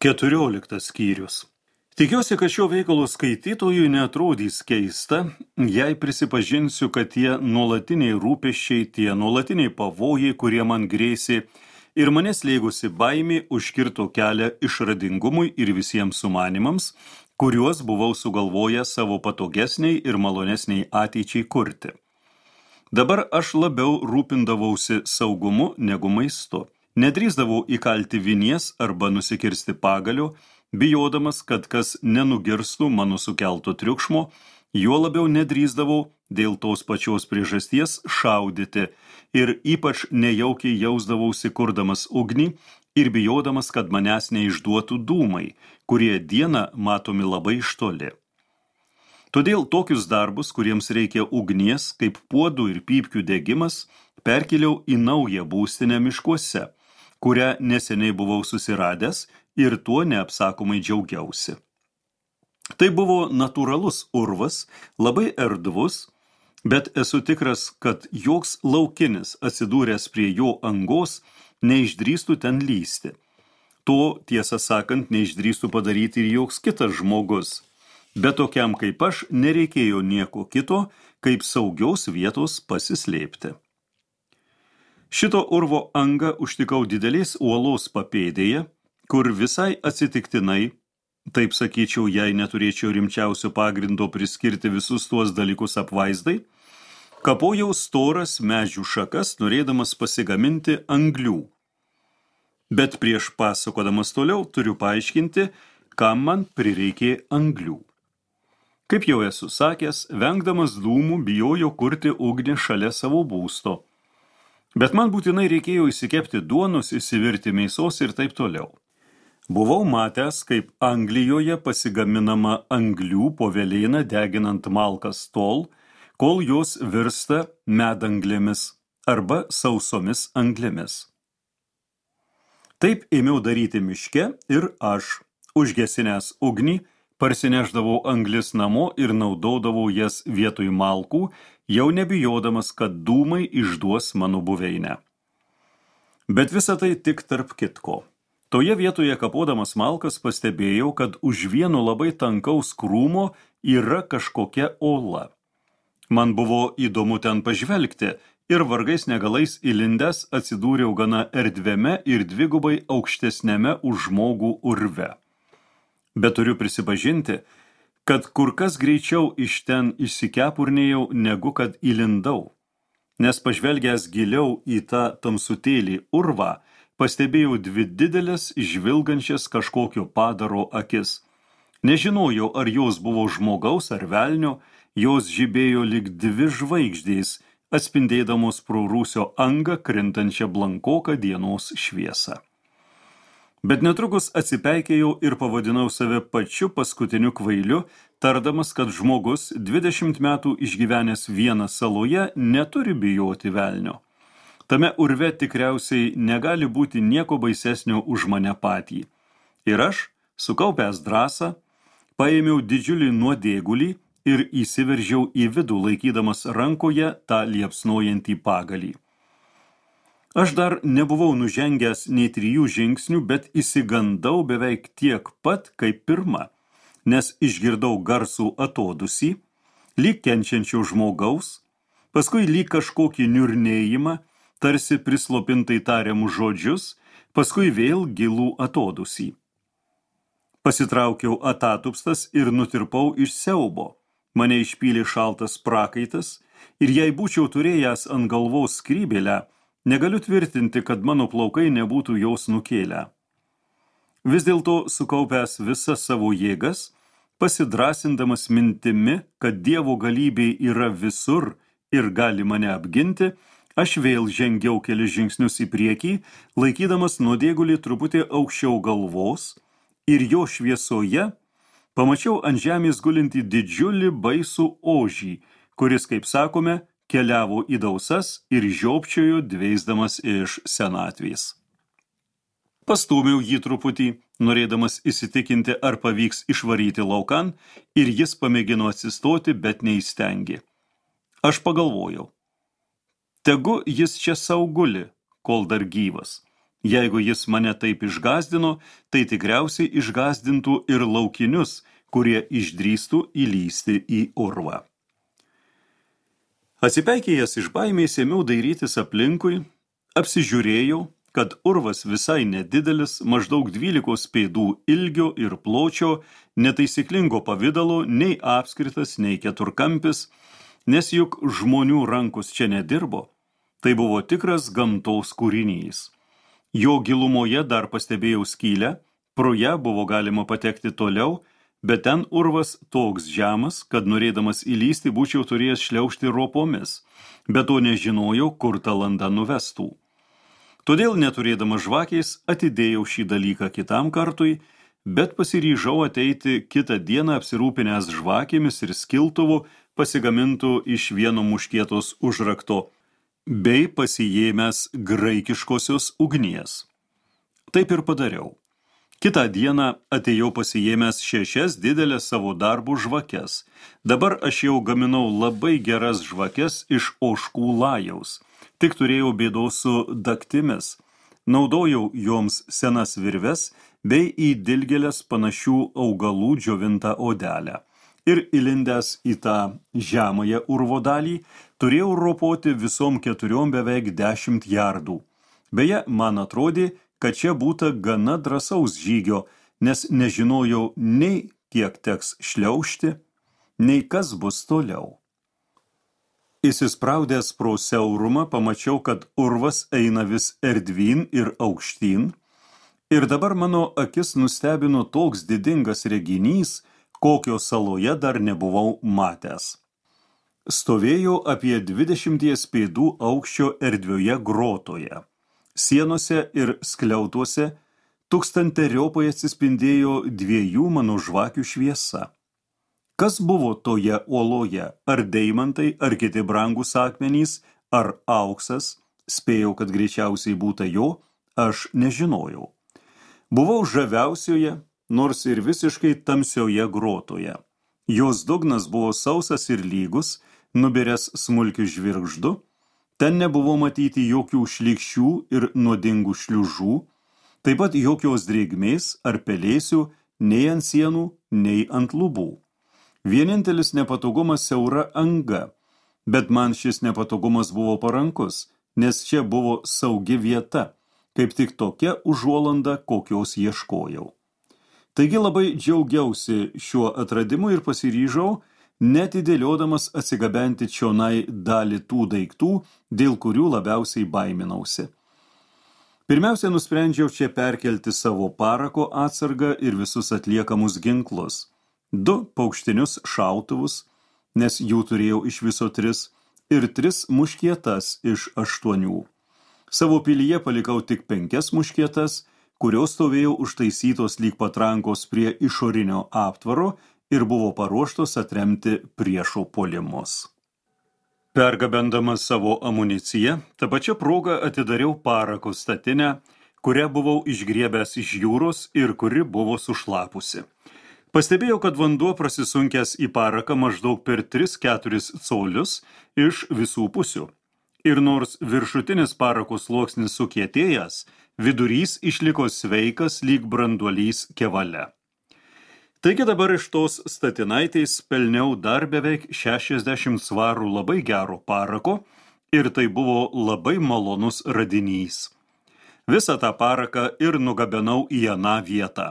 14 skyrius. Tikiuosi, kad šio veikalo skaitytojui neatrodys keista, jei prisipažinsiu, kad tie nuolatiniai rūpesčiai, tie nuolatiniai pavojai, kurie man grėsė ir mane slėgusi baimė, užkirto kelią išradingumui ir visiems sumanimams, kuriuos buvau sugalvojęs savo patogesniai ir malonesniai ateičiai kurti. Dabar aš labiau rūpindavausi saugumu negu maistu. Nedrįsdavau įkalti vinies arba nusikirsti pagalio, bijodamas, kad kas nenugirstų mano sukelto triukšmo, juo labiau nedrįsdavau dėl tos pačios priežasties šaudyti ir ypač nejaukiai jausdavausi kurdamas ugnį ir bijodamas, kad manęs neišduotų dūmai, kurie dieną matomi labai iš toli. Todėl tokius darbus, kuriems reikia ugnies, kaip puodų ir pypkių degimas, perkėliau į naują būstinę miškuose, kurią neseniai buvau susiradęs ir tuo neapsakomai džiaugiausi. Tai buvo natūralus urvas, labai erdvus, bet esu tikras, kad joks laukinis atsidūręs prie jo angos neišdrįstų ten lysti. To, tiesą sakant, neišdrįstų padaryti ir joks kitas žmogus. Bet tokiam kaip aš nereikėjo nieko kito, kaip saugios vietos pasislėpti. Šito urvo angą užtikau didelės uolos papėdėje, kur visai atsitiktinai, taip sakyčiau, jei neturėčiau rimčiausio pagrindo priskirti visus tuos dalykus apvaizdai, kapojau storas medžių šakas, norėdamas pasigaminti anglių. Bet prieš pasakodamas toliau turiu paaiškinti, kam man prireikė anglių. Kaip jau esu sakęs, vengdamas dūmų bijojau kurti ugnį šalia savo būsto. Bet man būtinai reikėjo įsikepti duonos, įsivirti mėsos ir taip toliau. Buvau matęs, kaip Anglijoje pasigaminama anglių po velėną deginant malkas tol, kol jos virsta medanglėmis arba sausomis anglėmis. Taip ėmiau daryti miške ir aš, užgesinęs ugnį, parsineždavau anglis namo ir naudodavau jas vietoj malkų, jau nebijodamas, kad dūmai išduos mano buveinę. Bet visa tai tik tarp kitko. Toje vietoje kapodamas malkas pastebėjau, kad už vieno labai tankaus krūmo yra kažkokia ola. Man buvo įdomu ten pažvelgti ir vargais negalais įlindęs atsidūriau gana erdviame ir dvigubai aukštesnėme už žmogų urve. Bet turiu prisipažinti, kad kur kas greičiau iš ten išsikepurnėjau, negu kad įlindau. Nes pažvelgęs giliau į tą tamsutėlį urvą, pastebėjau dvi didelės žvilgančias kažkokio padaro akis. Nežinojau, ar jos buvo žmogaus ar velnio, jos žibėjo lyg dvi žvaigždės, atspindėdamos pro rūsio angą krintančią blankoką dienos šviesą. Bet netrukus atsipeikėjau ir pavadinau save pačiu paskutiniu kvailiu, tardamas, kad žmogus 20 metų išgyvenęs vieną saloje neturi bijoti velnio. Tame urve tikriausiai negali būti nieko baisesnio už mane patį. Ir aš, sukaupęs drąsą, paėmiau didžiulį nuodėgulį ir įsiveržiau į vidų, laikydamas rankoje tą liepsnojantį pagalį. Aš dar nebuvau nužengęs nei 3 žingsnių, bet įsigandau beveik tiek pat kaip pirma, nes išgirdau garsų atodusį, lyg kenčiančio žmogaus, paskui lyg kažkokį niurnėjimą, tarsi prislopintai tariamus žodžius, paskui vėl gilų atodusį. Pasitraukiau atatupstas ir nutirpau iš siaubo. Mane išpylė šaltas prakaitas ir jei būčiau turėjęs ant galvos skrybėlę, negaliu tvirtinti, kad mano plaukai nebūtų jos nukėlę. Vis dėlto, sukaupęs visas savo jėgas, pasidrasindamas mintimi, kad Dievo galybė yra visur ir gali mane apginti, aš vėl žengiau kelis žingsnius į priekį, laikydamas nuodėgulį truputį aukščiau galvos, ir jo šviesoje pamačiau ant žemės gulintį didžiulį baisų ožį, kuris, kaip sakome, keliavo į dausas ir žiopčiojo dveisdamas iš senatvės. Pastūmiau jį truputį, norėdamas įsitikinti, ar pavyks išvaryti laukan, ir jis pamėgino atsistoti, bet neįstengė. Aš pagalvojau, tegu jis čia sau guli, kol dar gyvas. Jeigu jis mane taip išgąsdino, tai tikriausiai išgąsdintų ir laukinius, kurie išdrįstų įlysti į urvą. Atsipeikėjęs iš baimės ėmiau dairytis aplinkui, apsižiūrėjau, kad urvas visai nedidelis, maždaug 12 pėdų ilgio ir pločio, netaisyklingo pavidalo, nei apskritas, nei keturkampis, nes juk žmonių rankos čia nedirbo. Tai buvo tikras gamtos kūrinys. Jo gilumoje dar pastebėjau skylę, pro ją buvo galima patekti toliau, bet ten urvas toks žemas, kad norėdamas įlysti būčiau turėjęs šliaužti ropomis, bet to nežinojau, kur ta landa nuvestų. Todėl neturėdamas žvakės atidėjau šį dalyką kitam kartui, bet pasiryžau ateiti kitą dieną apsirūpinęs žvakėmis ir skiltuvu pasigamintų iš vieno muškietos užrakto, bei pasijėmęs graikiškosios ugnies. Taip ir padariau. Kitą dieną atėjau pasijėmęs 6 didelės savo darbų žvakes. Dabar aš jau gaminau labai geras žvakes iš ožkų lajaus. Tik turėjau bėdos su daktimis. Naudojau joms senas virves bei į dilgėles panašių augalų džiovintą odelę. Ir įlindęs į tą žemąją urvo dalį, turėjau ropoti visom 4 beveik 10 jardų. Beje, man atrodė, kad čia būta gana drąsaus žygio, nes nežinojau nei kiek teks šliaužti, nei kas bus toliau. Įsispraudęs pro siaurumą pamačiau, kad urvas eina vis erdvyn ir aukštyn, ir dabar mano akis nustebino toks didingas reginys, kokio saloje dar nebuvau matęs. Stovėjo apie 20 pėdų aukščio erdvioje grotoje. Sienose ir skliautuose tūkstanteriopai atsispindėjo 2 mano žvakių šviesa. Kas buvo toje uoloje? Ar deimantai, ar kiti brangūs akmenys, ar auksas? Spėjau, kad greičiausiai būta jo, aš nežinojau. Buvau žaviausioje, nors ir visiškai tamsioje grotoje. Jos dugnas buvo sausas ir lygus, nubiręs smulkių žvirgždų, ten nebuvo matyti jokių šlykščių ir nuodingų šliužų, taip pat jokios drėgmės ar pelėsių nei ant sienų, nei ant lubų. Vienintelis nepatogumas siaura anga, bet man šis nepatogumas buvo parankus, nes čia buvo saugi vieta, kaip tik tokia užuolanda, kokios ieškojau. Taigi labai džiaugiausi šiuo atradimu ir pasiryžau, netidėliodamas atsigabenti čionai dalį tų daiktų, dėl kurių labiausiai baiminausi. Pirmiausia, nusprendžiau čia perkelti savo parako atsargą ir visus atliekamus ginklus. 2 paukštinius šautuvus, nes jų turėjau iš viso 3, ir 3 muškietas iš 8. Savo pilyje palikau tik 5 muškietas, kurios stovėjo užtaisytos lyg patrankos prie išorinio aptvaro ir buvo paruoštos atremti priešo puolimus. Pergabendamas savo amuniciją, tą pačią progą atidariau parako statinę, kurią buvau išgriebęs iš jūros ir kuri buvo sušlapusi. Pastebėjau, kad vanduo prasisunkęs į paraką maždaug per 3-4 colius iš visų pusių. Ir nors viršutinis parako sluoksnis sukietėjęs, vidurys išliko sveikas lyg branduolys kevale. Taigi dabar iš tos statinaitės pelniau dar beveik 60 svarų labai gero parako ir tai buvo labai malonus radinys. Visą tą paraką ir nugabenau į aną vietą.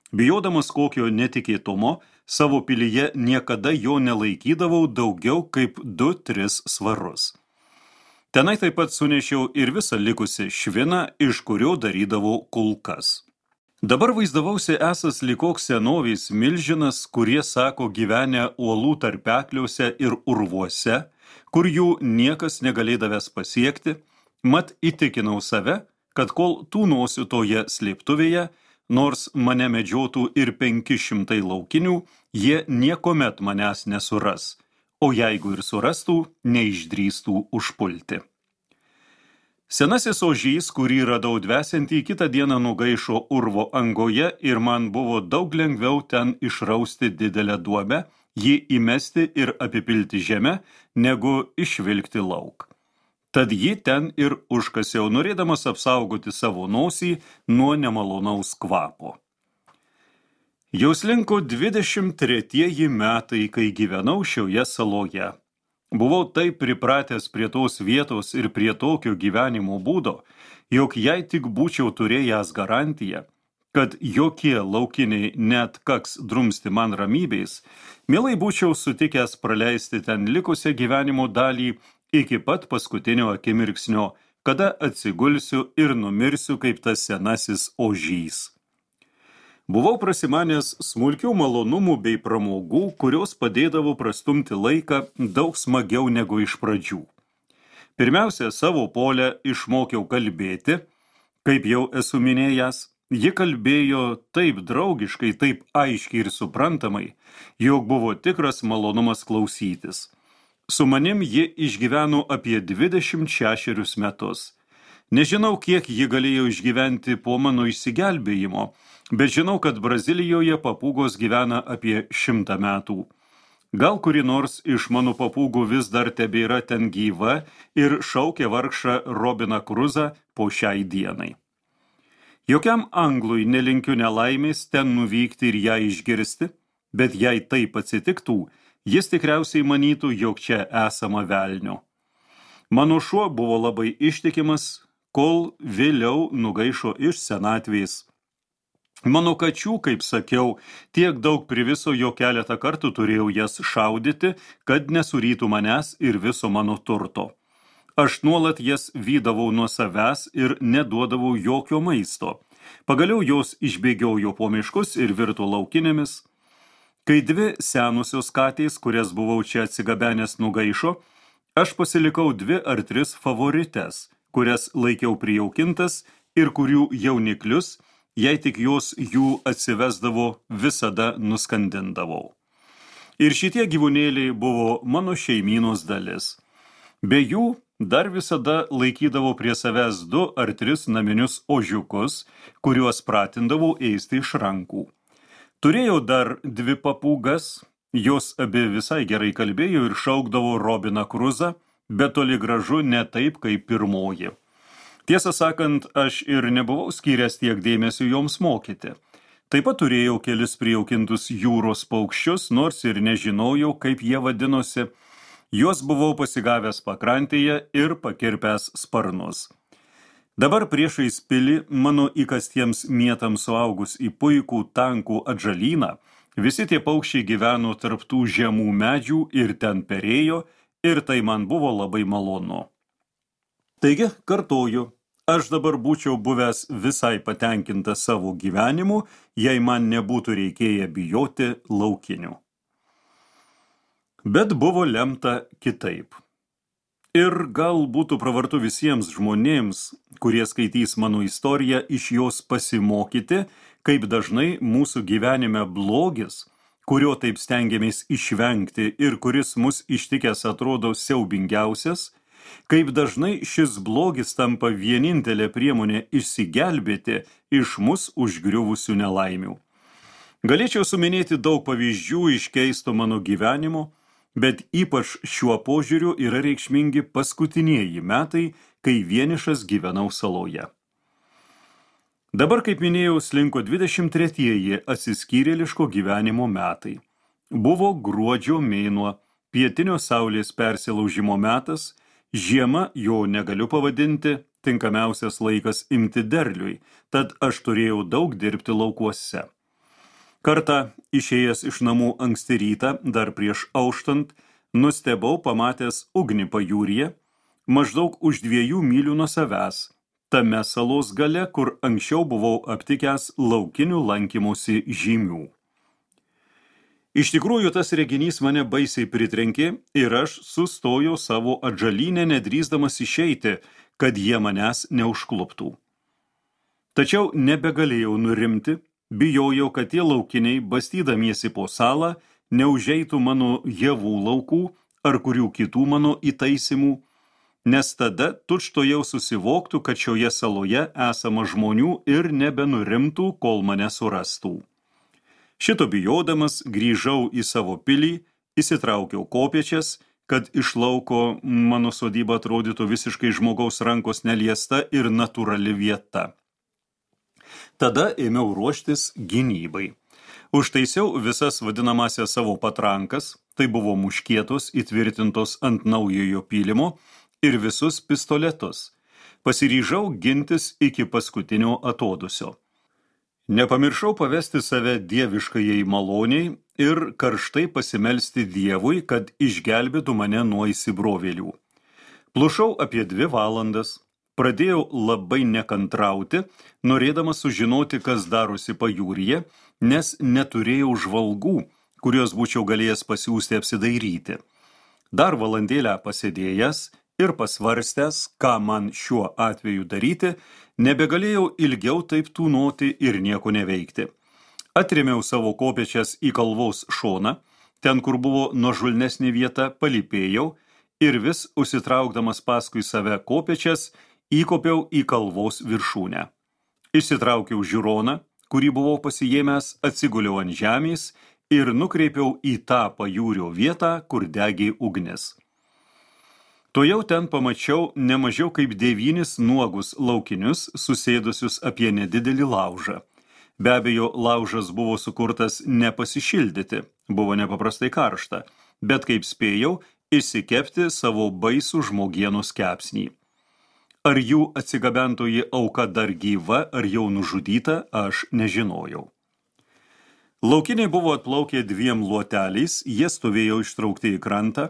Bijodamas kokio netikėtumo, savo pilyje niekada jo nelaikydavau daugiau kaip 2-3 svarus. Tenai taip pat sunešiau ir visą likusi šviną, iš kurio darydavau kulkas. Dabar vaizdavausi esas lyg koks senovės milžinas, kurie sako gyvenę uolų tarpekliuose ir urvuose, kur jų niekas negalėdavęs pasiekti, mat įtikinau save, kad kol tūnosiu toje slėptuvėje, nors mane medžiotų ir 500 laukinių, jie niekomet manęs nesuras, o jeigu ir surastų, neišdrįstų užpulti. Senasis ožys, kurį radau dvesiantį, kitą dieną nugaišo urvo angoje ir man buvo daug lengviau ten išrausti didelę duobę, jį įmesti ir apipilti žemę, negu išvilkti lauk. Tad ji ten ir užkasiau, norėdamas apsaugoti savo nosį nuo nemalonaus kvapo. Jau slinko 23 metai, kai gyvenau šioje saloje. Buvau taip pripratęs prie tos vietos ir prie tokio gyvenimo būdo, jog jei tik būčiau turėjęs garantiją, kad jokie laukiniai net kaks drumsti man ramybės, mielai būčiau sutikęs praleisti ten likusią gyvenimo dalį iki pat paskutinio akimirksnio, kada atsigulsiu ir numirsiu kaip tas senasis ožys. Buvau prasimanęs smulkių malonumų bei pramogų, kurios padėdavo prastumti laiką daug smagiau negu iš pradžių. Pirmiausia, savo polę išmokiau kalbėti, kaip jau esu minėjęs, ji kalbėjo taip draugiškai, taip aiškiai ir suprantamai, jog buvo tikras malonumas klausytis. Su manim ji išgyveno apie 26 metus. Nežinau, kiek ji galėjo išgyventi po mano išsigelbėjimo, bet žinau, kad Brazilijoje papūgos gyvena apie 100 metų. Gal kuri nors iš mano papūgų vis dar tebėra ten gyva ir šaukia vargšą Robiną Kruzą po šiai dienai. Jokiam anglui nelinkiu nelaimės ten nuvykti ir ją išgirsti, bet jei taip atsitiktų, jis tikriausiai manytų, jog čia esama velnio. Mano šuo buvo labai ištikimas, kol vėliau nugaišo iš senatvės. Mano kačių, kaip sakiau, tiek daug priviso, jo keletą kartų turėjau jas šaudyti, kad nesurytų manęs ir viso mano turto. Aš nuolat jas vydavau nuo savęs ir neduodavau jokio maisto. Pagaliau jos išbėgiojo po miškus ir virto laukinėmis. Kai 2 senusios katės, kurias buvau čia atsigabenęs, nugaišo, aš pasilikau 2 ar 3 favorites, kurias laikiau prijaukintas ir kurių jauniklius, jei tik jos jų atsivesdavo, visada nuskandindavau. Ir šitie gyvūnėliai buvo mano šeimynos dalis. Be jų dar visada laikydavau prie savęs 2 ar 3 naminius ožiukus, kuriuos pratindavau ėsti iš rankų. Turėjau dar 2 papūgas, jos abi visai gerai kalbėjo ir šaukdavo Robiną Kruzą, bet toli gražu ne taip kaip pirmoji. Tiesą sakant, aš ir nebuvau skyręs tiek dėmesio joms mokyti. Taip pat turėjau kelis prijaukintus jūros paukščius, nors ir nežinojau, kaip jie vadinosi. Juos buvau pasigavęs pakrantėje ir pakirpęs sparnus. Dabar priešais pilį, mano įkastiems mietams suaugus į puikų tankų atžalyną, visi tie paukščiai gyveno tarp tų žemų medžių ir ten perėjo, ir tai man buvo labai malonu. Taigi, kartoju, aš dabar būčiau buvęs visai patenkintas savo gyvenimu, jei man nebūtų reikėję bijoti laukinių. Bet buvo lemta kitaip. Ir gal būtų pravartu visiems žmonėms, kurie skaitys mano istoriją, iš jos pasimokyti, kaip dažnai mūsų gyvenime blogis, kurio taip stengiamės išvengti ir kuris mus ištikęs atrodo siaubingiausias, kaip dažnai šis blogis tampa vienintelė priemonė išsigelbėti iš mus užgriuvusių nelaimių. Galėčiau suminėti daug pavyzdžių iš keisto mano gyvenimo, bet ypač šiuo požiūriu yra reikšmingi paskutinieji metai, kai vienišas gyvenau saloje. Dabar, kaip minėjau, slinko 23 atsiskyrėliško gyvenimo metai. Buvo gruodžio mėnuo, pietinio saulės persilaužimo metas, žiema jo negaliu pavadinti, tinkamiausias laikas imti derliui, tad aš turėjau daug dirbti laukuose. Kartą, išėjęs iš namų anksti rytą, dar prieš auštant, nustebau pamatęs ugnį pajūryje, maždaug už 2 mylių nuo savęs, tame salos gale, kur anksčiau buvau aptikęs laukinių lankymosi žymių. Iš tikrųjų, tas reginys mane baisiai pritrenkė ir aš sustojau savo atžalynę, nedrįsdamas išeiti, kad jie manęs neužkluptų. Tačiau nebegalėjau nurimti, bijojau, kad tie laukiniai, bastydamiesi po salą, neužeitų mano javų laukų ar kurių kitų mano įtaisimų, nes tada tučtuojau susivoktų, kad šioje saloje esama žmonių ir nebenurimtų, kol mane surastų. Šito bijodamas grįžau į savo pilį, įsitraukiau kopėčias, kad iš lauko mano sodyba atrodytų visiškai žmogaus rankos neliesta ir natūrali vieta. Tada ėmiau ruoštis gynybai. Užtaisiau visas vadinamasias savo patrankas, tai buvo muškietos įtvirtintos ant naujojo pylimo, ir visus pistoletus. Pasiryžau gintis iki paskutinio atodusio. Nepamiršau pavesti save dieviškajai maloniai ir karštai pasimelsti Dievui, kad išgelbėtų mane nuo įsibrovėlių. Plušau apie 2 valandas. Pradėjau labai nekantrauti, norėdamas sužinoti, kas darosi pajūryje, nes neturėjau žvalgų, kuriuos būčiau galėjęs pasiųsti apsidairyti. Dar valandėlę pasėdėjęs ir pasvarstęs, ką man šiuo atveju daryti, nebegalėjau ilgiau taip tūnoti ir nieko neveikti. Atrėmiau savo kopėčias į kalvos šoną, ten, kur buvo nuožulnesnė vieta, palypėjau ir vis užsitraukdamas paskui save kopėčias, įkopiau į kalvos viršūnę. Išsitraukiau žiūroną, kurį buvau pasijėmęs, atsiguliau ant žemės ir nukreipiau į tą pajūrio vietą, kur degė ugnis. Tuojau ten pamačiau nemažiau kaip 9 nuogus laukinius, susėdusius apie nedidelį laužą. Be abejo, laužas buvo sukurtas nepasišildyti, buvo nepaprastai karšta, bet kaip spėjau, išsikepti savo baisų žmogienos kepsnį. Ar jų atsigabentoji auka dar gyva, ar jau nužudyta, aš nežinojau. Laukiniai buvo atplaukę 2 luoteliais, jie stovėjo ištraukti į krantą.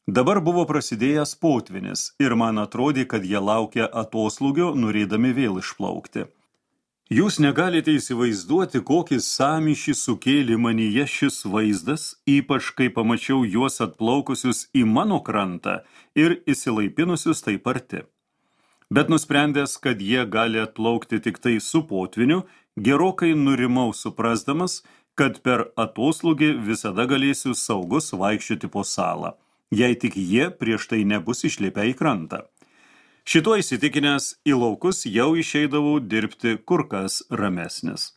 Dabar buvo prasidėjęs potvynis ir man atrodė, kad jie laukia atoslūgio, norėdami vėl išplaukti. Jūs negalite įsivaizduoti, kokį sąmyšį sukėlė manyje šis vaizdas, ypač kai pamačiau juos atplaukusius į mano krantą ir įsilaipinusius taip arti. Bet nusprendęs, kad jie gali atplaukti tik tai su potviniu, gerokai nurimau suprasdamas, kad per atoslūgį visada galėsiu saugus vaikščioti po salą, jei tik jie prieš tai nebus išlipę į krantą. Šituo įsitikinęs į laukus jau išeidavau dirbti kur kas ramesnis.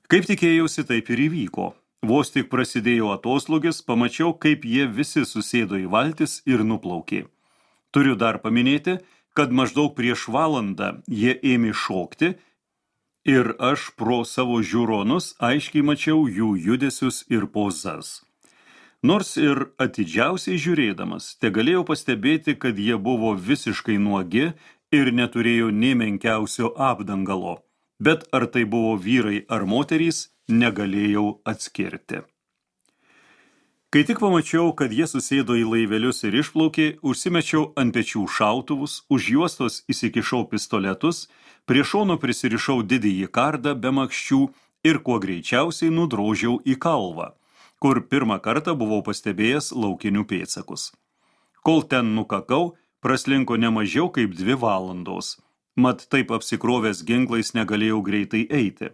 Kaip tikėjausi, taip ir įvyko. Vos tik prasidėjo atoslūgis, pamačiau, kaip jie visi susėdo į valtis ir nuplaukė. Turiu dar paminėti, kad maždaug prieš valandą jie ėmė šokti ir aš pro savo žiūronus aiškiai mačiau jų judesius ir pozas. Nors ir atidžiausiai žiūrėdamas, tegalėjau pastebėti, kad jie buvo visiškai nuogi ir neturėjo nė menkiausio apdangalo, bet ar tai buvo vyrai ar moterys, negalėjau atskirti. Kai tik pamačiau, kad jie susėdo į laivelius ir išplaukė, užsimečiau ant pečių šautuvus, už juostos įsikišau pistoletus, prie šono prisirišau didįjį kardą be makščių ir kuo greičiausiai nudrožiau į kalvą, kur pirmą kartą buvau pastebėjęs laukinių pėdsakus. Kol ten nukakau, praslinko nemažiau kaip 2 valandos, mat taip apsikrovęs ginklais negalėjau greitai eiti.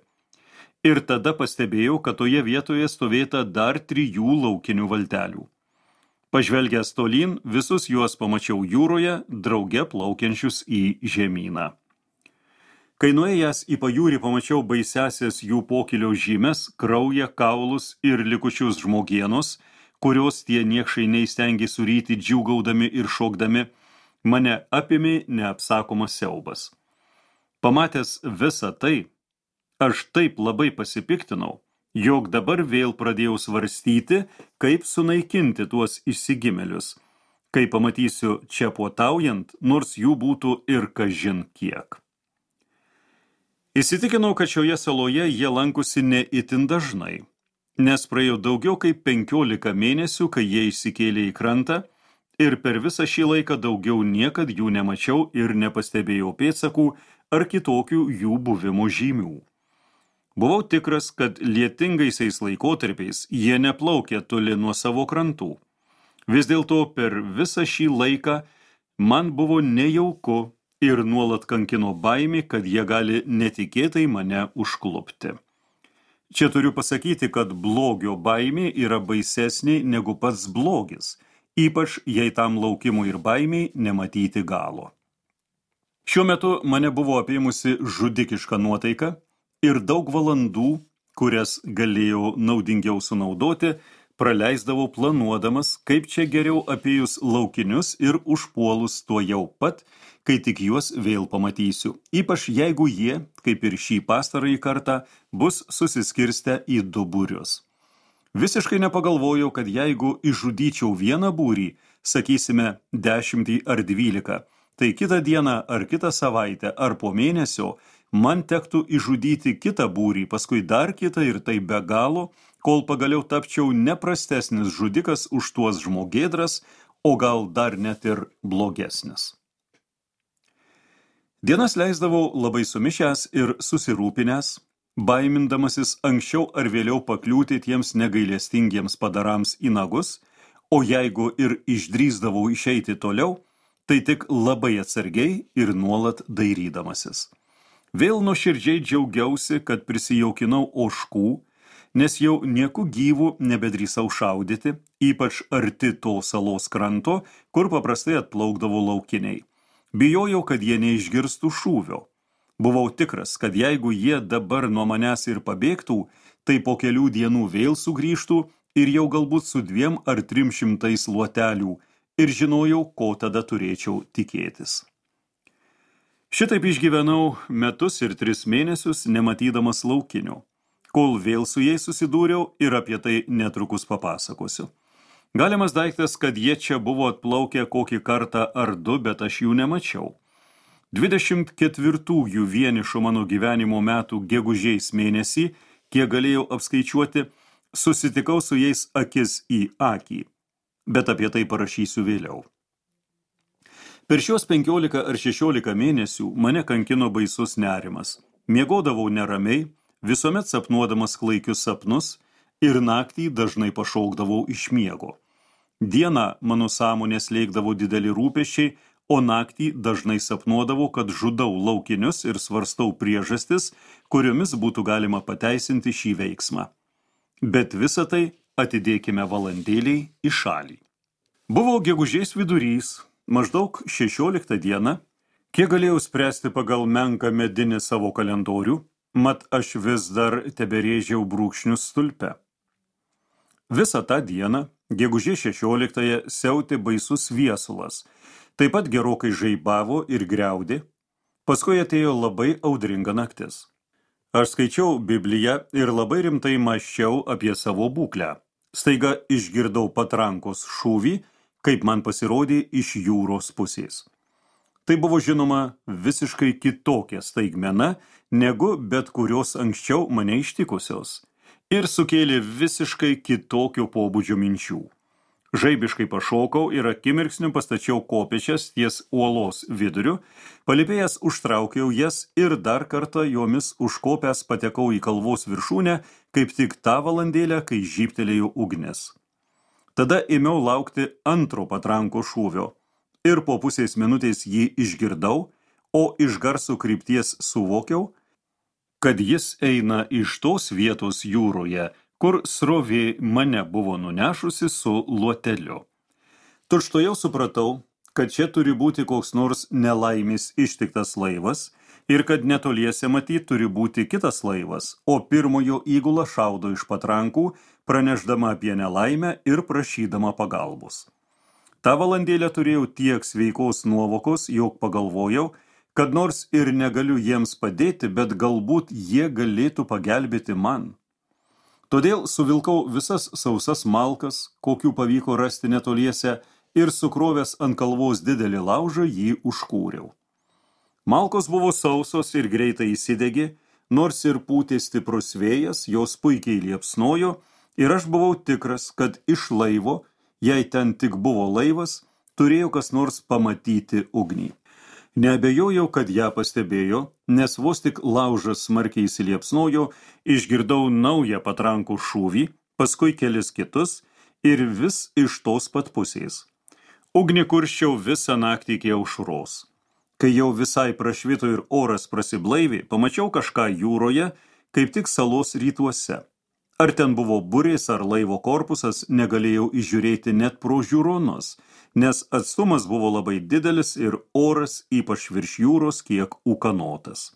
Ir tada pastebėjau, kad toje vietoje stovėta dar 3 laukinių valtelių. Pažvelgęs tolyn, visus juos pamačiau jūroje, drauge plaukiančius į žemyną. Kai nuėjęs į pajūrį pamačiau baisiasias jų pokylio žymes, kraują, kaulus ir likučius žmogienos, kurios tie niekšai neįstengė suryti džiūgaudami ir šokdami, mane apėmė neapsakomas siaubas. Pamatęs visą tai, aš taip labai pasipiktinau, jog dabar vėl pradėjau svarstyti, kaip sunaikinti tuos išsigimėlius, kai pamatysiu čia puotaujant, nors jų būtų ir kažin kiek. Įsitikinau, kad šioje saloje jie lankosi ne itin dažnai, nes praėjo daugiau kaip 15 mėnesių, kai jie išsikėlė į krantą, ir per visą šį laiką daugiau niekad jų nemačiau ir nepastebėjau pėdsakų ar kitokių jų buvimo žymių. Buvau tikras, kad lietingaisiais laikotarpiais jie neplaukė toli nuo savo krantų. Vis dėlto per visą šį laiką man buvo nejauku ir nuolat kankino baimė, kad jie gali netikėtai mane užklupti. Čia turiu pasakyti, kad blogio baimė yra baisesnė negu pats blogis, ypač jei tam laukimui ir baimiai nematyti galo. Šiuo metu mane buvo apėmusi žudikiška nuotaika ir daug valandų, kurias galėjau naudingiau sunaudoti, praleisdavau planuodamas, kaip čia geriau apėjus laukinius ir užpuolus tuo jau pat, kai tik juos vėl pamatysiu, ypač jeigu jie, kaip ir šį pastarąjį kartą, bus susiskirstę į 2 būrius. Visiškai nepagalvojau, kad jeigu išžudyčiau vieną būrį, sakysime 10 ar 12, tai kitą dieną ar kitą savaitę ar po mėnesio man tektų išžudyti kitą būrį, paskui dar kitą ir tai be galo, kol pagaliau tapčiau neprastesnis žudikas už tuos žmogėdras, o gal dar net ir blogesnis. Dienas leisdavau labai sumišęs ir susirūpinęs, baimindamasis anksčiau ar vėliau pakliūti tiems negailestingiems padarams į nagus, o jeigu ir išdrįsdavau išeiti toliau, tai tik labai atsargiai ir nuolat dairydamasis. Vėl nuoširdžiai džiaugiausi, kad prisijaukinau ožkų, nes jau nieku gyvų nebedrįsau šaudyti, ypač arti to salos kranto, kur paprastai atplaukdavo laukiniai. Bijojau, kad jie neišgirstų šūvio. Buvau tikras, kad jeigu jie dabar nuo manęs ir pabėgtų, tai po kelių dienų vėl sugrįžtų ir jau galbūt su 2 ar 300 luotelių, ir žinojau, ko tada turėčiau tikėtis. Šitaip išgyvenau metus ir 3 mėnesius, nematydamas laukinių, kol vėl su jais susidūriau ir apie tai netrukus papasakosiu. Galimas daiktas, kad jie čia buvo atplaukę kokį kartą ar 2, bet aš jų nemačiau. 24 vienišo mano gyvenimo metų gegužės mėnesį, kiek galėjau apskaičiuoti, susitikau su jais akis į akį, bet apie tai parašysiu vėliau. Per šios 15 ar 16 mėnesių mane kankino baisus nerimas. Miegodavau neramiai, visuomet sapnuodamas klaikius sapnus ir naktį dažnai pašaukdavau iš miego. Dieną mano sąmonę slėgdavo dideli rūpesčiai, o naktį dažnai sapnuodavau, kad žudau laukinius ir svarstau priežastis, kuriomis būtų galima pateisinti šį veiksmą. Bet visą tai atidėkime valandėliai į šalį. Buvo gegužės vidurys, maždaug 16 diena, kiek galėjau spręsti pagal menką medinį savo kalendorių, mat aš vis dar teberėžiau brūkšnius stulpe. Visą tą dieną, gegužės 16-ąją, siautė baisus viesulas, taip pat gerokai žaibavo ir griaudė, paskui atėjo labai audringa naktis. Aš skaičiau Bibliją ir labai rimtai mąsčiau apie savo būklę. Staiga išgirdau patrankos šūvį, kaip man pasirodė iš jūros pusės. Tai buvo žinoma visiškai kitokia staigmena, negu bet kurios anksčiau mane ištikusios, ir sukėlė visiškai kitokio pobūdžio minčių. Žaibiškai pašokau ir akimirksniu pastačiau kopėčias ties uolos viduriu, palipėjęs užtraukiau jas ir dar kartą jomis užkopęs patekau į kalvos viršūnę, kaip tik tą valandėlę, kai žybtelėjo ugnis. Tada ėmiau laukti antro patranko šūvio ir po pusės minutės jį išgirdau, o iš garso krypties suvokiau, kad jis eina iš tos vietos jūroje, kur srovė mane buvo nunešusi su luoteliu. Tučtuojau supratau, kad čia turi būti koks nors nelaimis ištiktas laivas ir kad netoliese matyt turi būti kitas laivas, o pirmojo įgula šaudo iš patrankų, pranešdama apie nelaimę ir prašydama pagalbos. Ta valandėlę turėjau tiek sveikos nuovokos, jog pagalvojau, kad nors ir negaliu jiems padėti, bet galbūt jie galėtų pagelbėti man. Todėl suvilkau visas sausas malkas, kokių pavyko rasti netoliese, ir sukrovęs ant kalvos didelį laužą jį užkūriau. Malkos buvo sausos ir greitai įsidegė, nors ir pūtė stiprus vėjas, jos puikiai liepsnojo, ir aš buvau tikras, kad iš laivo, jei ten tik buvo laivas, turėjo kas nors pamatyti ugnį. Neabejojau, kad ją pastebėjo, nes vos tik laužas smarkiai įsiliepsnojo, išgirdau naują patrankų šūvį, paskui kelis kitus ir vis iš tos pat pusės. Ugnį kurščiau visą naktį iki aušros. Kai jau visai prašvito ir oras prasiblaivė, pamačiau kažką jūroje, kaip tik salos rytuose. Ar ten buvo burės ar laivo korpusas, negalėjau įžiūrėti net pro žiūronus, nes atstumas buvo labai didelis ir oras, ypač virš jūros, kiek ūkanotas.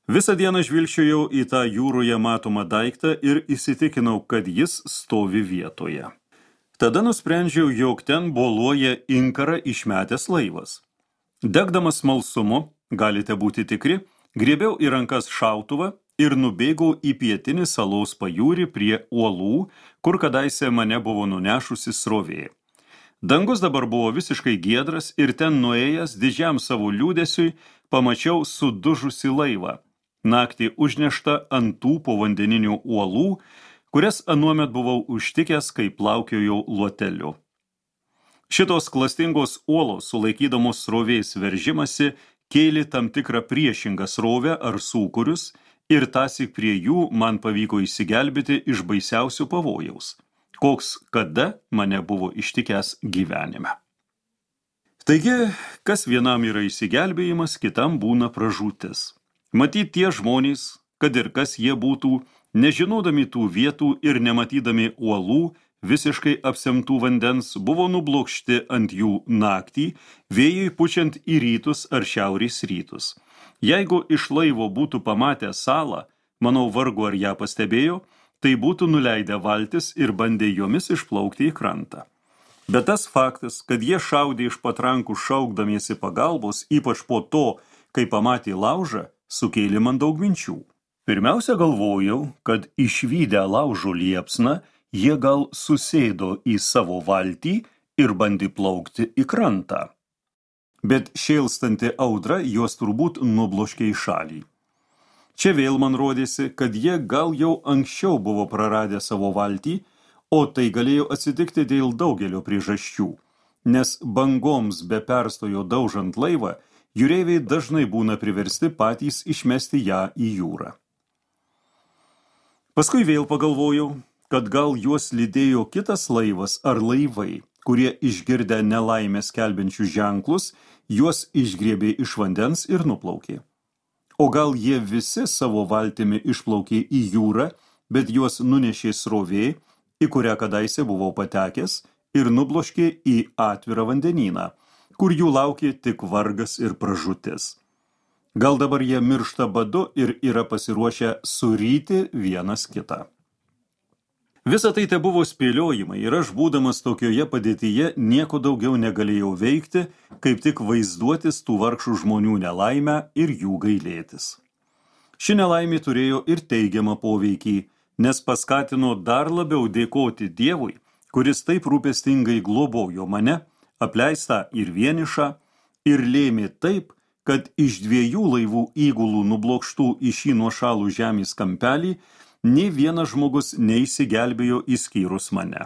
Visą dieną žvilgčiojau į tą jūroje matomą daiktą ir įsitikinau, kad jis stovi vietoje. Tada nusprendžiau, jog ten boluoja inkarą išmetęs laivas. Degdamas smalsumu, galite būti tikri, griebiau į rankas šautuvą ir nubėgau į pietinį salos pajūrį prie uolų, kur kadaise mane buvo nunešusi srovė. Dangus dabar buvo visiškai giedras ir ten nuėjęs didžiam savo liūdesiui pamačiau sudužusi laivą, naktį užneštą ant tų povandeninių uolų, kurias anuomet buvau užtikęs, kai plaukiojau luoteliu. Šitos klastingos uolos, sulaikydamos srovės veržimasi, kėlė tam tikrą priešingą srovę ar sūkurius ir tąsyk prie jų man pavyko išsigelbėti iš baisiausių pavojaus, koks kada mane buvo ištikęs gyvenime. Taigi, kas vienam yra išsigelbėjimas, kitam būna pražūtis. Matyt, tie žmonės, kad ir kas jie būtų, nežinodami tų vietų ir nematydami uolų, visiškai apsemtų vandens, buvo nublokšti ant jų naktį, vėjui pučiant į rytus ar šiaurės rytus. Jeigu iš laivo būtų pamatę salą, manau vargu ar ją pastebėjo, tai būtų nuleidę valtis ir bandė jomis išplaukti į krantą. Bet tas faktas, kad jie šaudė iš patrankų šaukdamiesi pagalbos, ypač po to, kai pamatė laužą, sukėlė man daug minčių. Pirmiausia galvojau, kad išvydę laužo liepsną, jie gal susėdo į savo valtį ir bandė plaukti į krantą. Bet šėlstanti audra juos turbūt nubloškė į šalį. Čia vėl man rodėsi, kad jie gal jau anksčiau buvo praradę savo valtį, o tai galėjo atsitikti dėl daugelio priežasčių, nes bangoms be perstojo daužant laivą, jūreiviai dažnai būna priversti patys išmesti ją į jūrą. Paskui vėl pagalvojau, kad gal juos lydėjo kitas laivas ar laivai, kurie išgirdę nelaimę skelbiančius ženklus, juos išgriebė iš vandens ir nuplaukė. O gal jie visi savo valtimi išplaukė į jūrą, bet juos nunešė srovė, į kurią kadaise buvau patekęs, ir nubloškė į atvirą vandenyną, kur jų laukė tik vargas ir pražūtis. Gal dabar jie miršta badu ir yra pasiruošę suryti vienas kitą. Visa tai te buvo spėliojimai ir aš, būdamas tokioje padėtyje, nieko daugiau negalėjau veikti, kaip tik vaizduotis tų vargšų žmonių nelaimę ir jų gailėtis. Ši nelaimė turėjo ir teigiamą poveikį, nes paskatino dar labiau dėkoti Dievui, kuris taip rūpestingai globojo mane, apleistą ir vienišą, ir lėmė taip, kad iš 2 laivų įgulų nublokštų į šį nuošalų žemės kampelį nei vienas žmogus neišsigelbėjo išskyrus mane.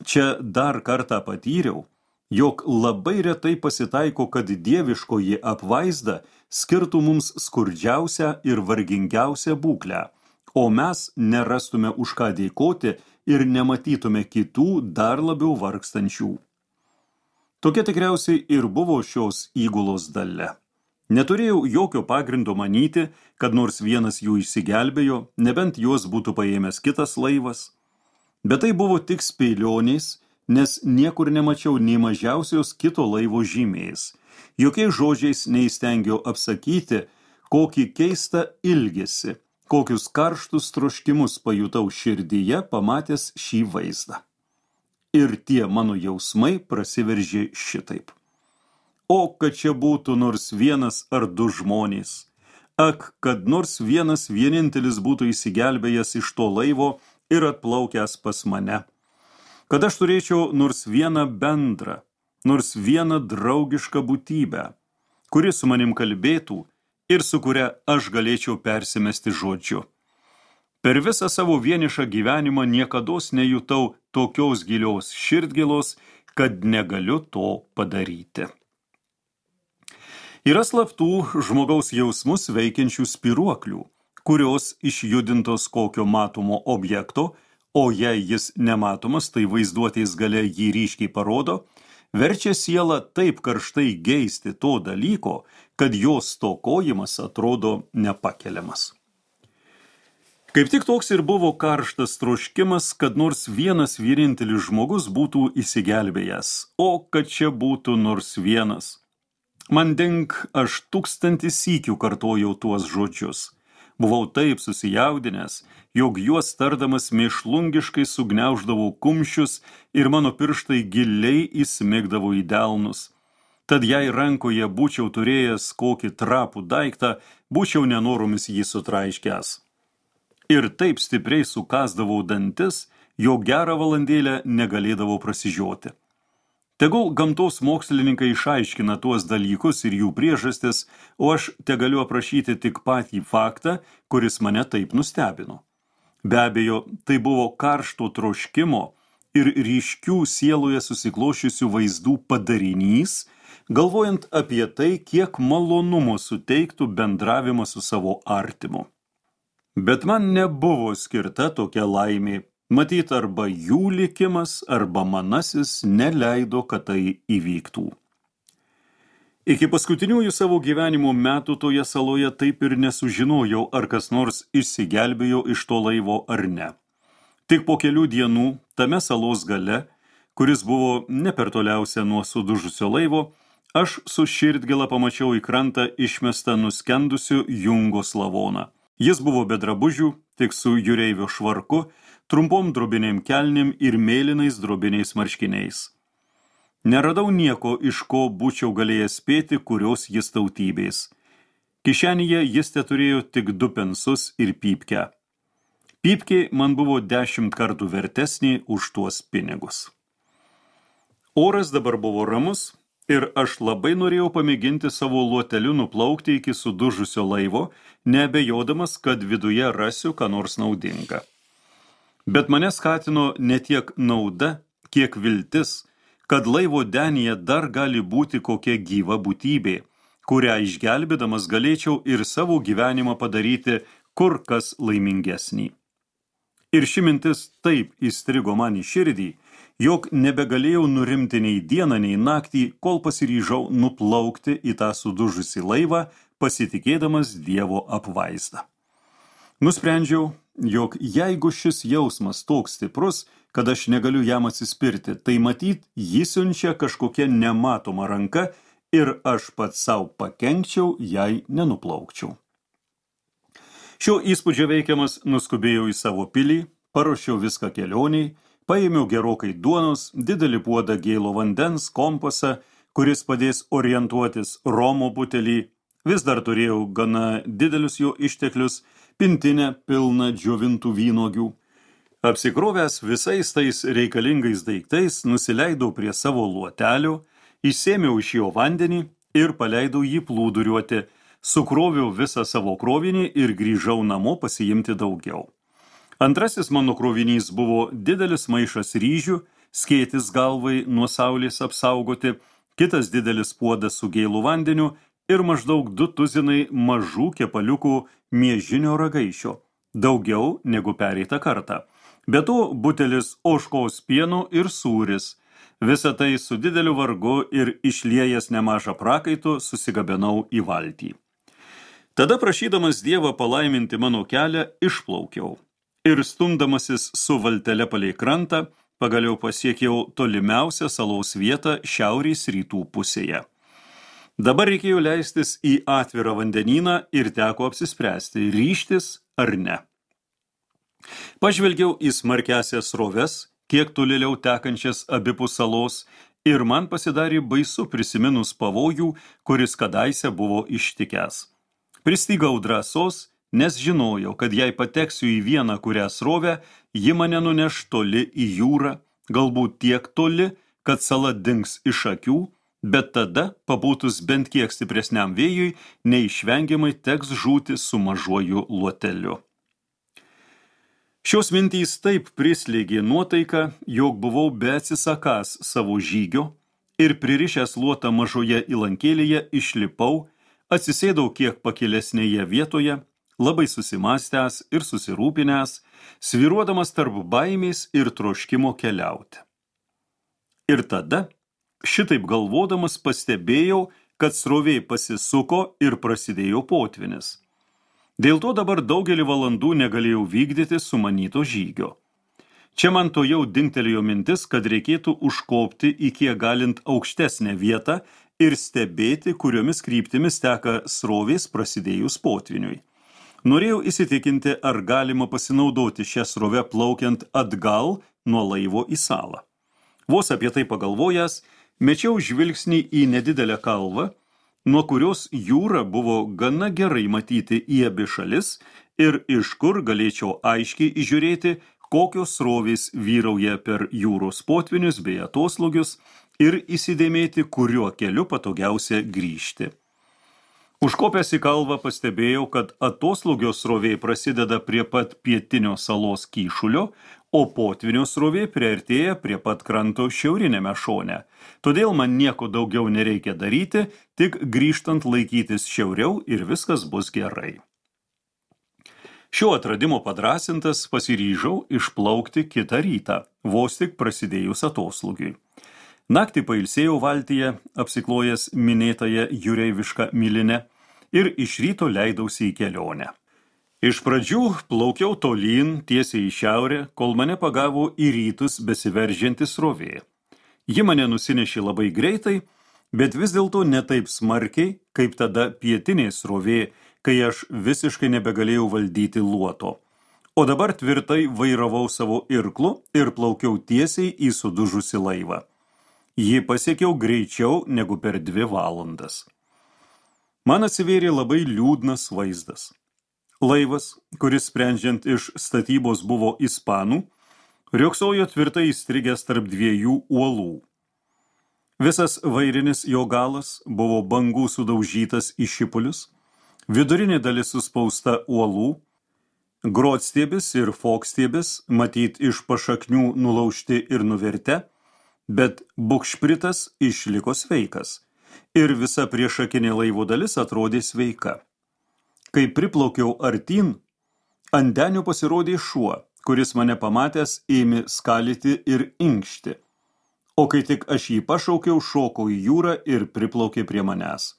Čia dar kartą patyriau, jog labai retai pasitaiko, kad dieviškoji apvaizda skirtų mums skurdžiausią ir vargingiausią būklę, o mes nerastume už ką dėkoti ir nematytume kitų dar labiau vargstančių. Tokia tikriausiai ir buvo šios įgulos dalia. Neturėjau jokio pagrindo manyti, kad nors vienas jų išsigelbėjo, nebent juos būtų paėmęs kitas laivas. Bet tai buvo tik spėlionės, nes niekur nemačiau nei mažiausios kito laivo žymės. Jokiais žodžiais neįstengiau apsakyti, kokį keistą ilgesį, kokius karštus troškimus pajutau širdyje, pamatęs šį vaizdą. Ir tie mano jausmai prasiveržė šitaip. O kad čia būtų nors vienas ar 2 žmonės. Ak, kad nors vienas vienintelis būtų įsigelbėjęs iš to laivo ir atplaukęs pas mane. Kad aš turėčiau nors vieną bendrą, nors vieną draugišką būtybę, kuri su manim kalbėtų ir su kuria aš galėčiau persimesti žodžiu. Per visą savo vienišą gyvenimą niekados nejutau tokios gilios širdgėlos, kad negaliu to padaryti. Yra slaptų žmogaus jausmus veikiančių spiruoklių, kurios išjudintos kokio matomo objekto, o jei jis nematomas, tai vaizduotės galia jį ryškiai parodo, verčia sielą taip karštai geisti to dalyko, kad jos stokojimas atrodo nepakeliamas. Kaip tik toks ir buvo karštas troškimas, kad nors vienas vienintelis žmogus būtų įsigelbėjęs, o kad čia būtų nors vienas. Man dink, aš 1000 sykių kartojau tuos žodžius. Buvau taip susijaudinęs, jog juos tardamas mėšlungiškai sugniauždavau kumščius ir mano pirštai giliai įsmigdavo į delnus. Tad jei rankoje būčiau turėjęs kokį trapų daiktą, būčiau nenoromis jį sutraiškęs. Ir taip stipriai sukasdavau dantis, jog gerą valandėlę negalėdavau prasižioti. Tegul gamtos mokslininkai išaiškina tuos dalykus ir jų priežastis, o aš tegaliu aprašyti tik patį faktą, kuris mane taip nustebino. Be abejo, tai buvo karšto troškimo ir ryškių sieloje susiklošiusių vaizdų padarinys, galvojant apie tai, kiek malonumo suteiktų bendravimas su savo artimu. Bet man nebuvo skirta tokia laimė. Matyt, arba jų likimas, arba manasis neleido, kad tai įvyktų. Iki paskutiniųjų savo gyvenimo metų toje saloje taip ir nesužinojau, ar kas nors išsigelbėjo iš to laivo ar ne. Tik po kelių dienų tame salos gale, kuris buvo ne per toliausia nuo sudužusio laivo, aš su širdgėla pamačiau į krantą išmestą nuskendusiu Jungos lavoną. Jis buvo be drabužių, tik su jūreivio švarku, trumpom drobinėm kelnėm ir mėlynais drobiniais marškiniais. Neradau nieko, iš ko būčiau galėjęs spėti, kurios jis tautybės. Kišenėje jis teturėjo tik 2 pensus ir pypkę. Pypkė man buvo 10 kartų vertesnė už tuos pinigus. Oras dabar buvo ramus ir aš labai norėjau pamėginti savo luoteliu nuplaukti iki sudužusio laivo, neabejodamas, kad viduje rasiu ką nors naudinga. Bet mane skatino ne tiek nauda, kiek viltis, kad laivo denyje dar gali būti kokia gyva būtybė, kurią išgelbėdamas galėčiau ir savo gyvenimą padaryti kur kas laimingesnį. Ir ši mintis taip įstrigo man į širdį, jog nebegalėjau nurimti nei dieną, nei naktį, kol pasiryžau nuplaukti į tą sudužusį laivą, pasitikėdamas Dievo apvaizdą. Nusprendžiau, jog jeigu šis jausmas toks stiprus, kad aš negaliu jam atsispirti, tai matyt, jį siunčia kažkokia nematoma ranka ir aš pats savo pakenkčiau, jei nenuplaukčiau. Šio įspūdžio veikiamas nuskubėjau į savo pilį, paruošiau viską kelioniai, paėmiau gerokai duonos, didelį puodą gėlo vandens, kompasą, kuris padės orientuotis, romo butelį, vis dar turėjau gana didelius jo išteklius, pintinę pilną džiovintų vynuogių. Apsikrovęs visais tais reikalingais daiktais, nusileidau prie savo luotelio, išsėmiau iš jo vandenį ir paleidau jį plūduriuoti, sukroviau visą savo krovinį ir grįžau namo pasiimti daugiau. Antrasis mano krovinys buvo didelis maišas ryžių, skėtis galvai nuo saulės apsaugoti, kitas didelis puodas su gėlu vandeniu ir maždaug 2 tuzinai mažų kepaliukų miežinio ragaišio, daugiau negu pereitą kartą. Be to butelis ožkos pieno ir sūris. Visą tai su dideliu vargu ir išliejęs nemažą prakaitų susigabenau į valtį. Tada prašydamas Dievą palaiminti mano kelią, išplaukiau. Ir stumdamasis su valtele palei krantą, pagaliau pasiekiau tolimiausią salos vietą šiaurės rytų pusėje. Dabar reikėjo leistis į atvirą vandenyną ir teko apsispręsti, ryžtis ar ne. Pažvelgiau į smarkiasias sroves, kiek tolėliau tekančias abipus salos, ir man pasidarė baisu prisiminus pavojų, kuris kadaise buvo ištikęs. Pristigau drąsos, nes žinojau, kad jei pateksiu į vieną kurią srovę, ji mane nuneš toli į jūrą, galbūt tiek toli, kad sala dings iš akių, bet tada, pabūtus bent kiek stipresniam vėjui, neišvengiamai teks žūti su mažuoju luoteliu. Šios mintys taip prislėgė nuotaiką, jog buvau beatsisakąs savo žygio ir pririšęs luotą mažoje įlankėlėje išlipau, atsisėdau kiek pakilesnėje vietoje, labai susimąstęs ir susirūpinęs, svyruodamas tarp baimės ir troškimo keliauti. Ir tada, šitaip galvodamas, pastebėjau, kad srovė pasisuko ir prasidėjo potvynis. Dėl to dabar daugelį valandų negalėjau vykdyti sumanyto žygio. Čia man tojau dingtelėjo mintis, kad reikėtų užkopti į kiek galint aukštesnę vietą ir stebėti, kuriomis kryptimis teka srovės prasidėjus potviniui. Norėjau įsitikinti, ar galima pasinaudoti šią srovę plaukiant atgal nuo laivo į salą. Vos apie tai pagalvojęs, mečiau žvilgsnį į nedidelę kalvą, nuo kurios jūra buvo gana gerai matyti į abi šalis ir iš kur galėčiau aiškiai įžiūrėti, kokios srovės vyrauja per jūros potvinius bei atoslūgius ir įsidėmėti, kuriuo keliu patogiausia grįžti. Užkopęs į kalvą pastebėjau, kad atoslūgio srovė prasideda prie pat pietinio salos kyšulio, o potvynio srovė priartėja prie pat kranto šiaurinėme šone. Todėl man nieko daugiau nereikia daryti, tik grįžtant laikytis šiauriau ir viskas bus gerai. Šio atradimo padrąsintas pasiryžau išplaukti kitą rytą, vos tik prasidėjus atoslūgiui. Naktį pailsėjau valtyje, apsiklojęs minėtąją jūreivišką milinę ir iš ryto leidausi į kelionę. Iš pradžių plaukiau tolyn, tiesiai į šiaurę, kol mane pagavo į rytus besiveržiantis srovė. Ji mane nusinešė labai greitai, bet vis dėlto ne taip smarkiai, kaip tada pietinė srovė, kai aš visiškai nebegalėjau valdyti luoto. O dabar tvirtai vairavau savo irklu ir plaukiau tiesiai į sudužusį laivą. Jį pasiekiau greičiau negu per 2 valandas. Man atsivėrė labai liūdnas vaizdas. Laivas, kuris sprendžiant iš statybos buvo ispanų, riogsojo tvirtai įstrigęs tarp 2 uolų. Visas vairinis jo galas buvo bangų sudaužytas į šipulius, vidurinė dalis suspausta uolų, grotstiebis ir fokstiebis, matyt iš pašaknių nulaužti ir nuvertę, bet bukšpritas išliko sveikas ir visa priešakinė laivo dalis atrodė sveika. Kai priplaukiau artyn, ant denio pasirodė šuo, kuris mane pamatęs ėmė skalyti ir inkšti. O kai tik aš jį pašaukiau, šoko į jūrą ir priplaukė prie manęs.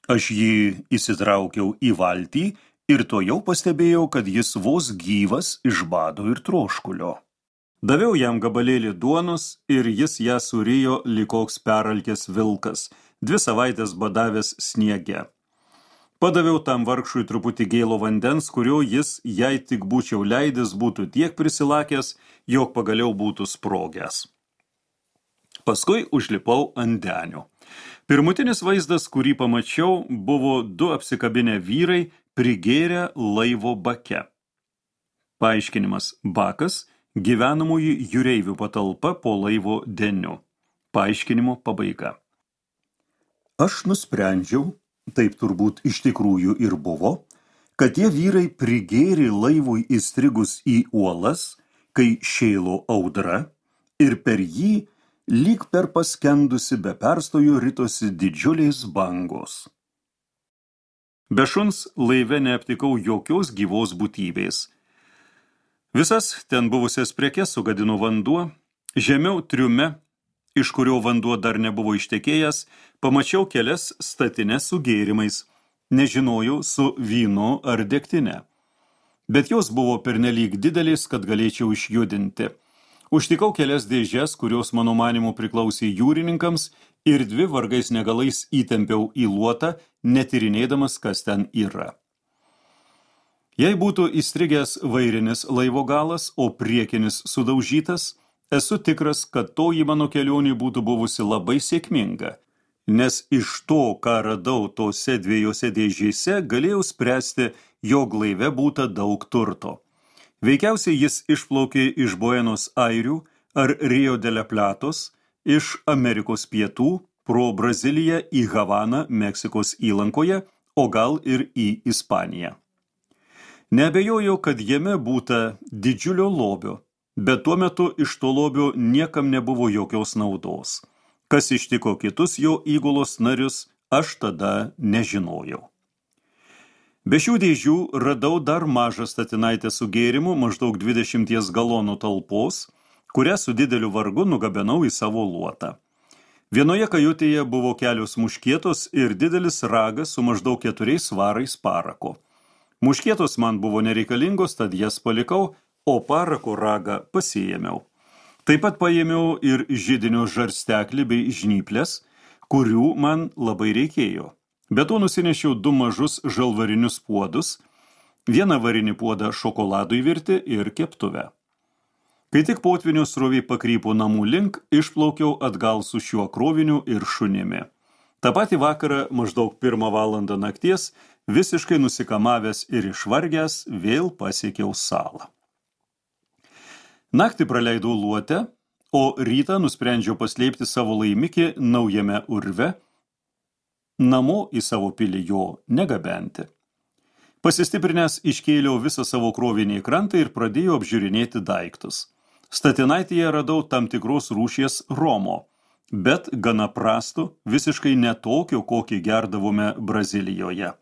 Aš jį įsitraukiau į valtį ir tuojau pastebėjau, kad jis vos gyvas iš bado ir troškulio. Daviau jam gabalėlį duonos ir jis ją surijo lyg koks peralkęs vilkas, 2 savaites badavęs sniege. Padaviau tam vargšui truputį gėlo vandens, kurio jis, jei tik būčiau leidęs, būtų tiek prisilakęs, jog pagaliau būtų sprogęs. Paskui užlipau ant denio. Pirmutinis vaizdas, kurį pamačiau, buvo 2 apsikabinę vyrai prigėrę laivo bake. Paaiškinimas: bakas – gyvenamųjų jūreivių patalpa po laivo deniu. Paaiškinimo pabaiga. Aš nusprendžiau, taip turbūt iš tikrųjų ir buvo, kad tie vyrai prigėrė laivui įstrigus į uolas, kai šėlo audra, ir per jį lyg per paskendusi be perstojo ritosi didžiulės bangos. Be šuns laive neaptikau jokios gyvos būtybės. Visas ten buvusias prekes sugadino vanduo, žemiau triume, iš kurio vanduo dar nebuvo ištekėjęs, pamačiau kelias statines su gėrimais, nežinojau su vynu ar degtine. Bet jos buvo pernelyg didelės, kad galėčiau išjudinti. Užtikau kelias dėžes, kurios mano manymu priklausė jūrininkams, ir 2 vargais negalais įtempiau į luotą, netyrinėdamas, kas ten yra. Jei būtų įstrigęs vairinis laivo galas, o priekinis sudaužytas, esu tikras, kad toji mano kelionė būtų buvusi labai sėkminga, nes iš to, ką radau tose 2 dėžėse, galėjau spręsti, jog laive būta daug turto. Veikiausiai jis išplaukė iš Buenos Airių ar Rio de la Platos, iš Amerikos pietų, pro Braziliją į Havaną, Meksikos įlankoje, o gal ir į Ispaniją. Neabejoju, kad jame būta didžiulio lobio, bet tuo metu iš to lobio niekam nebuvo jokios naudos. Kas ištiko kitus jo įgulos narius, aš tada nežinojau. Be šių dėžių radau dar mažą statinaitę su gėrimu maždaug 20 galonų talpos, kurią su dideliu vargu nugabenau į savo luotą. Vienoje kajutėje buvo kelios muškietos ir didelis ragas su maždaug 4 svarais parako. Muškietos man buvo nereikalingos, tad jas palikau, o parako ragą pasiėmiau. Taip pat paėmiau ir židinio žarsteklį bei žnyplės, kurių man labai reikėjo. Be to nusinešiau 2 mažus žalvarinius puodus, 1 varinį puodą šokoladui virti ir keptuvę. Kai tik potvynio srovė pakrypo namų link, išplaukiau atgal su šiuo kroviniu ir šunimi. Ta patį vakarą, maždaug 1 valandą nakties, visiškai nusikamavęs ir išvargęs, vėl pasiekiau salą. Naktį praleidau luote, o rytą nusprendžiau paslėpti savo laimikį naujame urve, namo į savo pilį jo negabenti. Pasistiprinęs iškėliau visą savo krovinį į krantą ir pradėjau apžiūrinėti daiktus. Statinaitėje radau tam tikros rūšies romo, bet gana prastų, visiškai netokio, kokį gerdavome Brazilijoje.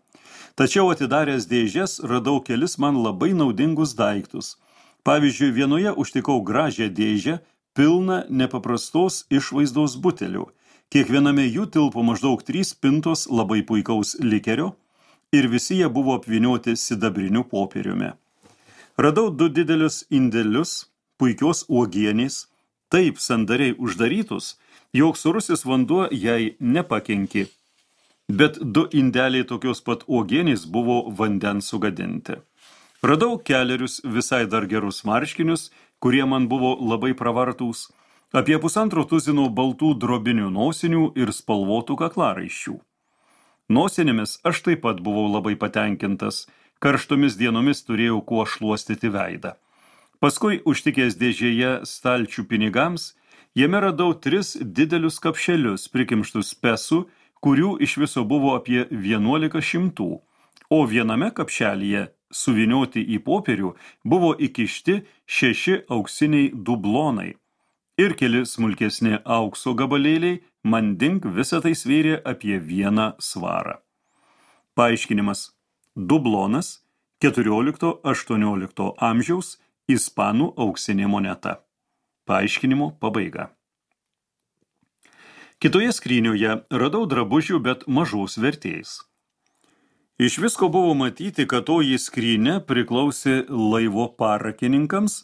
Tačiau atidaręs dėžes radau kelis man labai naudingus daiktus. Pavyzdžiui, vienoje užtikau gražią dėžę, pilną nepaprastos išvaizdos butelių. Kiekviename jų tilpo maždaug 3 pintos labai puikaus likerio ir visi jie buvo apvynioti sidabriniu popieriumi. Radau 2 didelius indelius, puikios uogienės, taip sandariai uždarytus, jog sūrusis vanduo jai nepakenkė. Bet 2 indeliai tokios pat uogienės buvo vandens sugadinti. Radau kelerius visai dar gerus marškinius, kurie man buvo labai pravartūs, apie 1,5 tuzino baltų drobinių nosinių ir spalvotų kaklaraiščių. Nosinėmis aš taip pat buvau labai patenkintas, karštomis dienomis turėjau kuo šluostyti veidą. Paskui, užtikęs dėžėje stalčių pinigams, jame radau 3 didelius kapšelius prikimštus pesų, kurių iš viso buvo apie 1100, o viename kapšelyje, suvinioti į popierių, buvo įkišti 6 auksiniai dublonai ir keli smulkesni aukso gabalėliai, mandink visą tai svėrė apie 1 svarą. Paaiškinimas. Dublonas 14-18 amžiaus ispanų auksinė moneta. Paaiškinimo pabaiga. Kitoje skrynioje radau drabužių, bet mažos vertės. Iš visko buvo matyti, kad toji skrynė priklausė laivo parakininkams,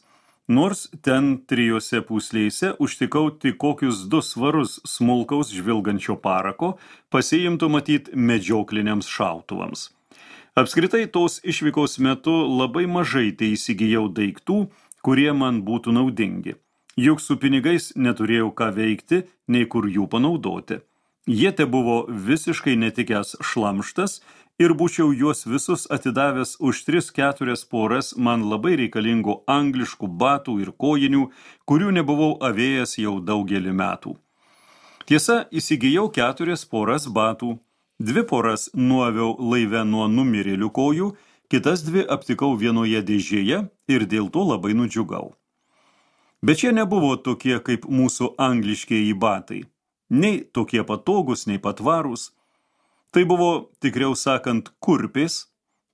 nors ten 3 pūslėse užtikau tik kokius 2 svarus smulkaus žvilgančio parako, pasiimtų matyt medžiokliniams šautuvams. Apskritai tos išvykos metu labai mažai tai įsigijau daiktų, kurie man būtų naudingi. Juk su pinigais neturėjau ką veikti, nei kur jų panaudoti. Jie te buvo visiškai netikęs šlamštas ir būčiau juos visus atidavęs už 3-4 poras man labai reikalingų angliškų batų ir kojinių, kurių nebuvau avėjęs jau daugelį metų. Tiesa, įsigijau 4 poras batų. 2 poras nuaviau laive nuo numirėlių kojų, kitas 2 aptikau vienoje dėžėje ir dėl to labai nudžiugau. Bet šie nebuvo tokie kaip mūsų angliškieji batai. Nei tokie patogus, nei patvarūs. Tai buvo, tikriau sakant, kurpės,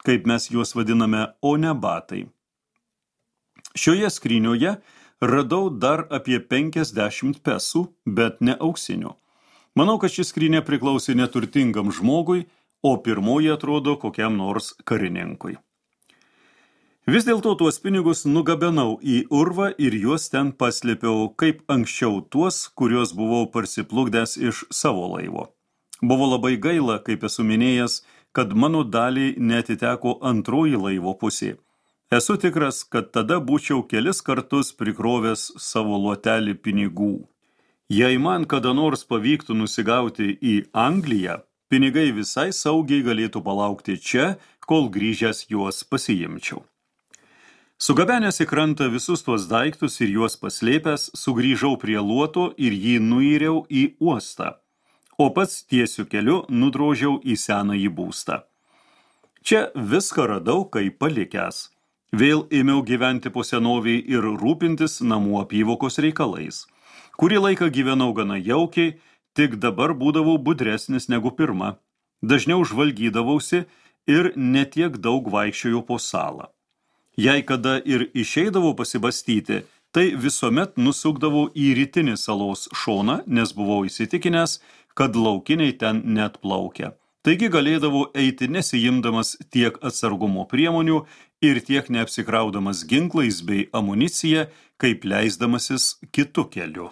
kaip mes juos vadiname, o ne batai. Šioje skrynioje radau dar apie 50 pesų, bet ne auksinių. Manau, kad šis skrynė priklausė neturtingam žmogui, o pirmoji atrodo kokiam nors karininkui. Vis dėlto tuos pinigus nugabenau į urvą ir juos ten paslėpiau kaip anksčiau tuos, kuriuos buvau parsiplukdęs iš savo laivo. Buvo labai gaila, kaip esu minėjęs, kad mano daliai neatiteko antroji laivo pusė. Esu tikras, kad tada būčiau kelis kartus prikrovęs savo luotelį pinigų. Jei man kada nors pavyktų nusigauti į Angliją, pinigai visai saugiai galėtų palaukti čia, kol grįžęs juos pasiimčiau. Sugabenęs į krantą visus tuos daiktus ir juos paslėpęs, sugrįžau prie luoto ir jį nuiriau į uostą, o pats tiesiu keliu nudrožiau į senąjį būstą. Čia viską radau, kaip palikęs. Vėl ėmiau gyventi po senoviai ir rūpintis namų apyvokos reikalais. Kurį laiką gyvenau gana jaukiai, tik dabar būdavau budresnis negu pirma. Dažniau žvalgydavausi ir netiek daug vaikščiojau po salą. Jei kada ir išeidavau pasibastyti, tai visuomet nusukdavau į rytinį salos šoną, nes buvau įsitikinęs, kad laukiniai ten net plaukia. Taigi galėdavau eiti nesijimdamas tiek atsargumo priemonių ir tiek neapsikraudamas ginklais bei amunicija, kaip leisdamasis kitu keliu.